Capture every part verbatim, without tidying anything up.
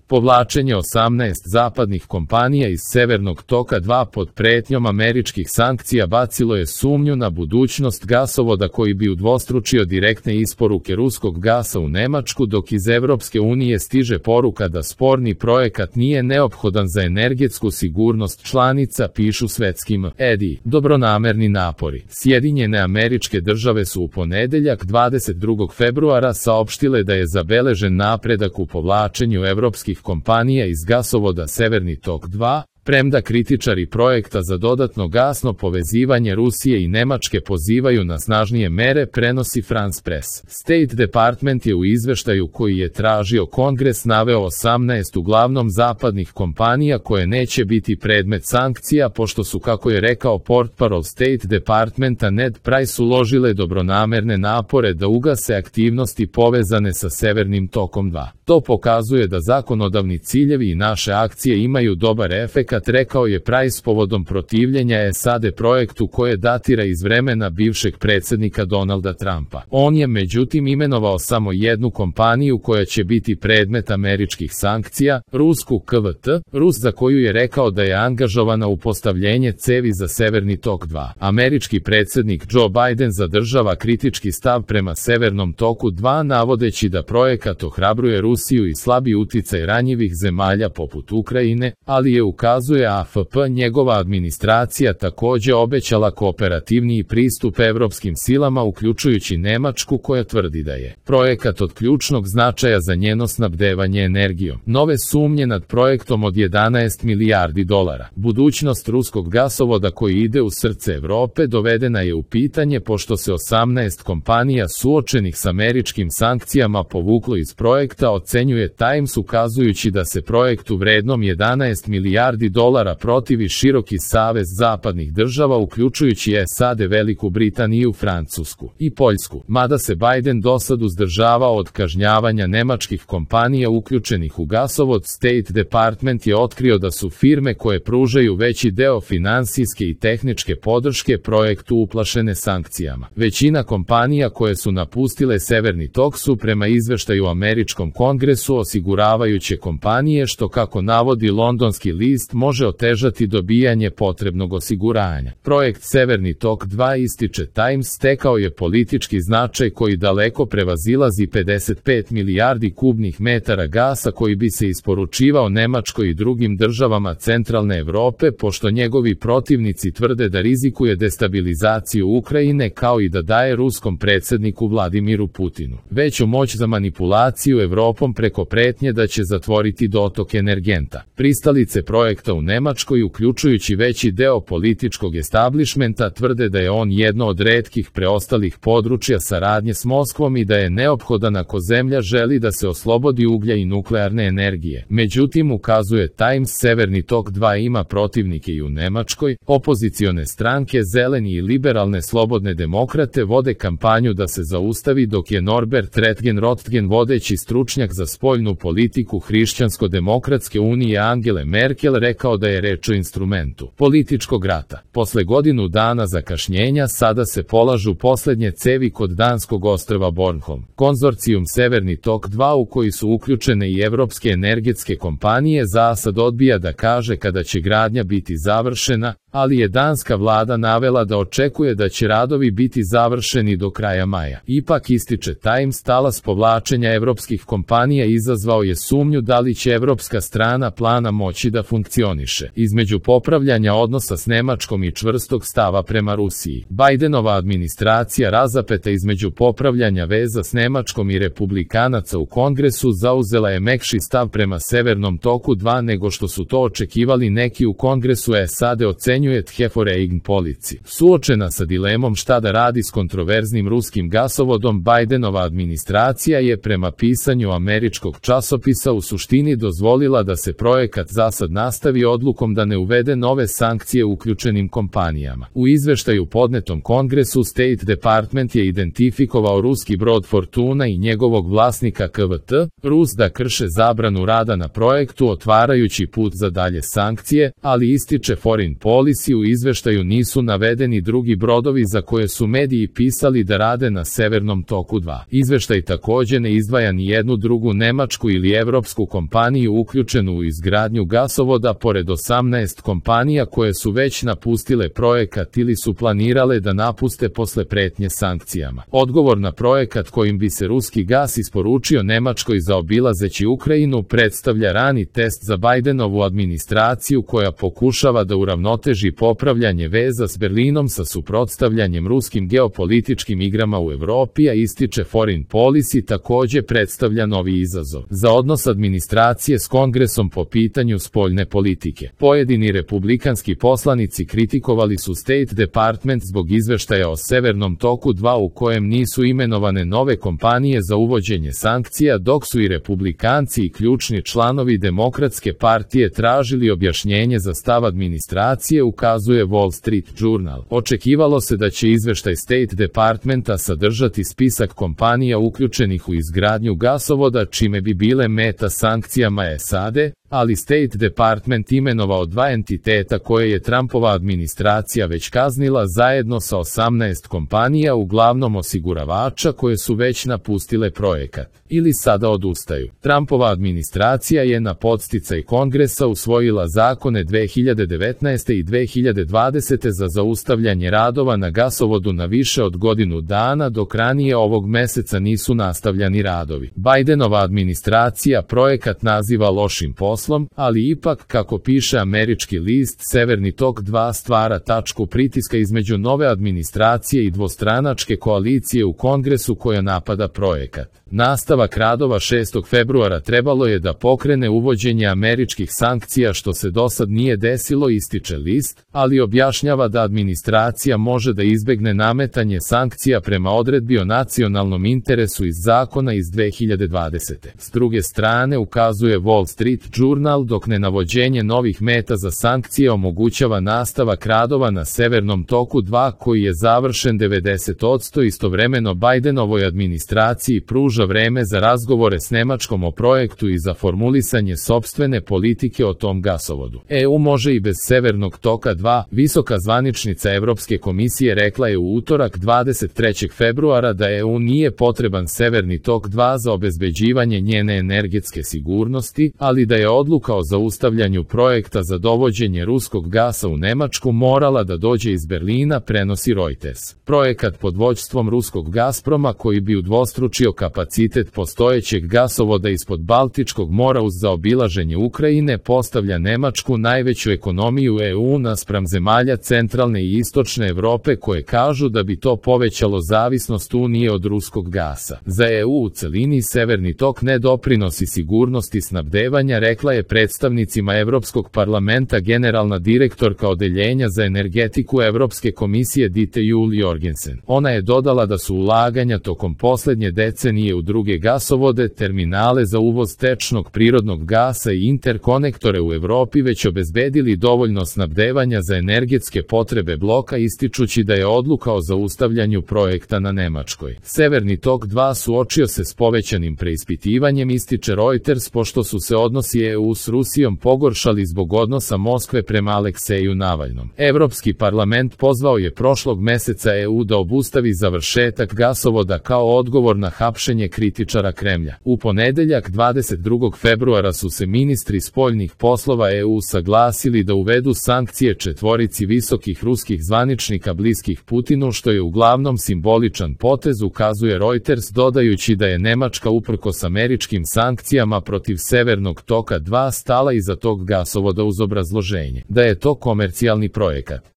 Povlačenje osamnaest zapadnih kompanija iz Severnog toka dva pod pretnjom američkih sankcija bacilo je sumnju na budućnost gasovoda koji bi udvostručio direktne isporuke ruskog gasa u Nemačku, dok iz Evropske unije stiže poruka da sporni projekat nije neophodan za energetsku sigurnost članica, pišu svetskim edi. Dobronamerni napori. Sjedinjene Američke Države su u ponedeljak dvadeset drugog februara saopštile da je zabeležen napredak u povlačenju evropskih kompanija iz gasovoda Severni tok dva, premda kritičari projekta za dodatno gasno povezivanje Rusije i Nemačke pozivaju na snažnije mere, prenosi France Press. State Department je u izveštaju koji je tražio Kongres naveo osamnaest uglavnom zapadnih kompanija koje neće biti predmet sankcija, pošto su, kako je rekao portparol State Departmenta Ned Price, uložile dobronamerne napore da ugase aktivnosti povezane sa Severnim tokom dva. To pokazuje da zakonodavni ciljevi i naše akcije imaju dobar efekat, rekao je Price povodom protivljenja S A D projektu koje datira iz vremena bivšeg predsjednika Donalda Trumpa. On je međutim imenovao samo jednu kompaniju koja će biti predmet američkih sankcija, rusku K V T, Rus, za koju je rekao da je angažovana u postavljenje cevi za Severni tok dva. Američki predsjednik Joe Biden zadržava kritički stav prema Severnom toku dva, navodeći da projekat ohrabruje Rusiju i slabi uticaj ranjivih zemalja poput Ukrajine, ali je ukazuje A F P njegova administracija također obećala kooperativniji pristup evropskim silama, uključujući Nemačku, koja tvrdi da je projekat od ključnog značaja za njeno snabdevanje energijom. Nove sumnje nad projektom od jedanaest milijardi dolara. Budućnost ruskog gasovoda koji ide u srce Evrope dovedena je u pitanje pošto se osamnaest kompanija suočenih s američkim sankcijama povuklo iz projekta, ocenjuje Times, ukazujući da se projektu vrednom jedanaest milijardi dolara protivi široki savez zapadnih država, uključujući S A D, Veliku Britaniju, Francusku i Poljsku. Mada se Biden dosad uzdržavao od kažnjavanja nemačkih kompanija uključenih u gasovod, State Department je otkrio da su firme koje pružaju veći deo finansijske i tehničke podrške projektu uplašene sankcijama. Većina kompanija koje su napustile Severni tok su prema izveštaju američkom kongresu osiguravajuće kompanije, što, kako navodi londonski list, može otežati dobijanje potrebnog osiguranja. Projekt Severni tok dva, ističe Times, stekao je politički značaj koji daleko prevazilazi pedeset pet milijardi kubnih metara gasa koji bi se isporučivao Nemačkoj i drugim državama centralne Evrope, pošto njegovi protivnici tvrde da rizikuje destabilizaciju Ukrajine kao i da daje ruskom predsjedniku Vladimiru Putinu veću moć za manipulaciju Evropom preko pretnje da će zatvoriti dotok energenta. Pristalice projekta u Nemačkoj, uključujući veći deo političkog establishmenta, tvrde da je on jedno od retkih preostalih područja saradnje s Moskvom i da je neophodan ako zemlja želi da se oslobodi uglja i nuklearne energije. Međutim, ukazuje Times, Severni tok dva ima protivnike i u Nemačkoj. Opozicione stranke, Zeleni i liberalne slobodne demokrate vode kampanju da se zaustavi, dok je Norbert Röttgen, vodeći stručnjak za spoljnu politiku Hrišćansko-demokratske unije Angele Merkel, rekao da je reč o instrumentu političkog rata. Posle godinu dana zakašnjenja sada se polažu poslednje cevi kod danskog ostrva Bornholm. Konzorcijum Severni tok dva, u koji su uključene i evropske energetske kompanije, za sad odbija da kaže kada će gradnja biti završena, ali je danska vlada navela da očekuje da će radovi biti završeni do kraja maja. Ipak, ističe Times, talas povlačenja evropskih kompanija izazvao je sumnju da li će evropska strana plana moći da funkcioniše. Između popravljanja odnosa s Nemačkom i čvrstog stava prema Rusiji, Bidenova administracija, razapeta između popravljanja veza s Nemačkom i republikanaca u kongresu, zauzela je mekši stav prema Severnom toku dva nego što su to očekivali neki u kongresu S A D, ocenjuje Tjeforeign Policy. Suočena sa dilemom šta da radi s kontroverznim ruskim gasovodom, Bidenova administracija je prema pisanju američkog časopisa u suštini dozvolila da se projekat zasad nastavi nastavi odlukom da ne uvede nove sankcije uključenim kompanijama. U izveštaju podnetom Kongresu State Department je identifikovao ruski brod Fortuna i njegovog vlasnika K V T, Rus da krše zabranu rada na projektu otvarajući put za dalje sankcije, ali ističe Foreign Policy u izveštaju nisu navedeni drugi brodovi za koje su mediji pisali da rade na Severnom toku dva. Izveštaj takođe ne izdvaja ni jednu drugu nemačku ili evropsku kompaniju uključenu u izgradnju gasovoda pored osamnaest kompanija koje su već napustile projekat ili su planirale da napuste posle pretnje sankcijama. Odgovor na projekat kojim bi se ruski gas isporučio Nemačkoj zaobilazeći Ukrajinu predstavlja rani test za Bajdenovu administraciju koja pokušava da uravnoteži popravljanje veza s Berlinom sa suprotstavljanjem ruskim geopolitičkim igrama u Evropi, a ističe Foreign Policy takođe predstavlja novi izazov za odnos administracije s Kongresom po pitanju spoljne politike. Pojedini republikanski poslanici kritikovali su State Department zbog izveštaja o Severnom toku dva u kojem nisu imenovane nove kompanije za uvođenje sankcija, dok su i republikanci i ključni članovi Demokratske partije tražili objašnjenje za stav administracije, ukazuje Wall Street Journal. Očekivalo se da će izveštaj State Departmenta sadržati spisak kompanija uključenih u izgradnju gasovoda, čime bi bile meta sankcijama S A D, ali State Department imenovao dva entiteta koje je Trumpova administracija već kaznila zajedno sa osamnaest kompanija, uglavnom osiguravača koje su već napustile projekat ili sada odustaju. Trumpova administracija je na podsticaj Kongresa usvojila zakone dve hiljade devetnaeste. i dve hiljade dvadesete. za zaustavljanje radova na gasovodu na više od godinu dana, dok ranije ovog meseca nisu nastavljani radovi. Bajdenova administracija projekat naziva lošim poslom, ali ipak, kako piše američki list, Severni tok dva stvara tačku pritiska između nove administracije i dvostranačke koalicije u Kongresu koja napada projekat. Nastavak radova šestog februara trebalo je da pokrene uvođenje američkih sankcija, što se dosad nije desilo, ističe list, ali objašnjava da administracija može da izbegne nametanje sankcija prema odredbi o nacionalnom interesu iz zakona iz dve hiljade dvadesete. S druge strane, ukazuje Wall Street Journal, dok nenavođenje novih meta za sankcije omogućava nastavak radova na Severnom toku dva koji je završen devedeset posto, istovremeno Bajdenovoj administraciji pruža vreme za razgovore s Nemačkom o projektu i za formulisanje sopstvene politike o tom gasovodu. E U može i bez Severnog toka dva, visoka zvaničnica Evropske komisije rekla je u utorak dvadeset trećeg februara da E U nije potreban Severni tok dva za obezbeđivanje njene energetske sigurnosti, ali da je odluka o zaustavljanju projekta za dovođenje ruskog gasa u Nemačku morala da dođe iz Berlina, prenosi Reuters. Projekat pod vođstvom ruskog Gazproma, koji bi udvostručio kapacitet postojećeg gasovoda ispod Baltičkog mora uz zaobilaženje Ukrajine, postavlja Nemačku, najveću ekonomiju E U, naspram zemalja centralne i istočne Evrope koje kažu da bi to povećalo zavisnost Unije od ruskog gasa. Za E U u celini Severni tok ne doprinosi sigurnosti snabdevanja, rekla je predstavnicima Evropskog parlamenta generalna direktorka Odeljenja za energetiku Evropske komisije Dite Juul Jorgensen. Ona je dodala da su ulaganja tokom poslednje decenije u druge gasovode, terminale za uvoz tečnog prirodnog gasa i interkonektore u Evropi već obezbedili dovoljno snabdevanja za energetske potrebe bloka, ističući da je odluka o zaustavljanju projekta na Nemačkoj. Severni tok dva suočio se s povećanim preispitivanjem, ističe Reuters, pošto su se odnosi E U s Rusijom pogoršali zbog odnosa Moskve prema Alekseju Navalnom. Evropski parlament pozvao je prošlog meseca E U da obustavi završetak gasovoda kao odgovor na hapšenje kritičara Kremlja. U ponedeljak dvadeset drugog februara su se ministri spoljnih poslova E U saglasili da uvedu sankcije četvorici visokih ruskih zvaničnika bliskih Putinu, što je uglavnom simboličan potez, ukazuje Reuters, dodajući da je Nemačka uprkos američkim sankcijama protiv Severnog toka dva stala iza tog gasovoda uz obrazloženje da je to komercijalni projekat.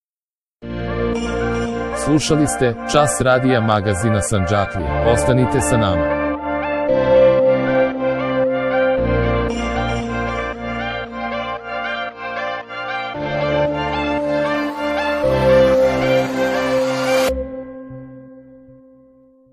Slušali ste Čas radija magazina Sandžaklija. Ostanite sa nama.